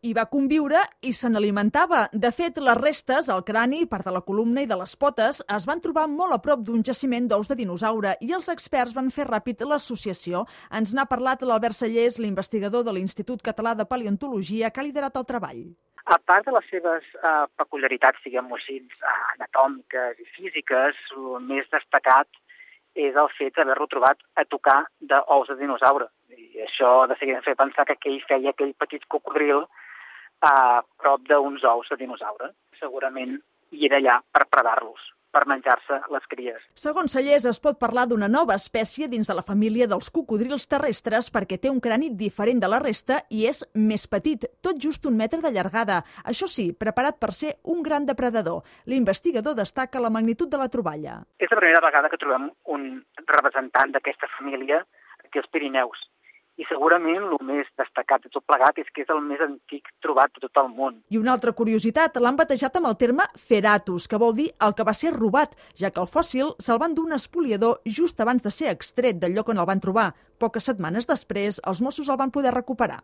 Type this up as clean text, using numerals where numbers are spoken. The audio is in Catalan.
Hi va conviure i se n'alimentava. De fet, les restes, el crani, part de la columna i de les potes, es van trobar molt a prop d'un jaciment d'ous de dinosaure i els experts van fer ràpid l'associació. Ens n'ha parlat l'Albert Sallés, l'investigador de l'Institut Català de Paleontologia, que ha liderat el treball. A part de les seves peculiaritats, diguem-ho així, anatòmiques i físiques, el més destacat és el fet d'haver-lo trobat a tocar d'ous de dinosaure. I això de seguida em feia pensar que ell feia aquell petit cocodril a prop d'uns ous de dinosaure. Segurament hi era allà per predar-los, per menjar-se les cries. Segons Sallés, es pot parlar d'una nova espècie dins de la família dels cocodrils terrestres perquè té un crani diferent de la resta i és més petit, tot just 1 metre de llargada. Això sí, preparat per ser un gran depredador. L'investigador destaca la magnitud de la troballa. És la primera vegada que trobem un representant d'aquesta família aquí als Pirineus. I segurament el més destacat de tot plegat és que és el més antic trobat de tot el món. I una altra curiositat, l'han batejat amb el terme Feratus, que vol dir el que va ser robat, ja que el fòssil se'l van dur un espoliador just abans de ser extret del lloc on el van trobar. Poques setmanes després, els Mossos el van poder recuperar.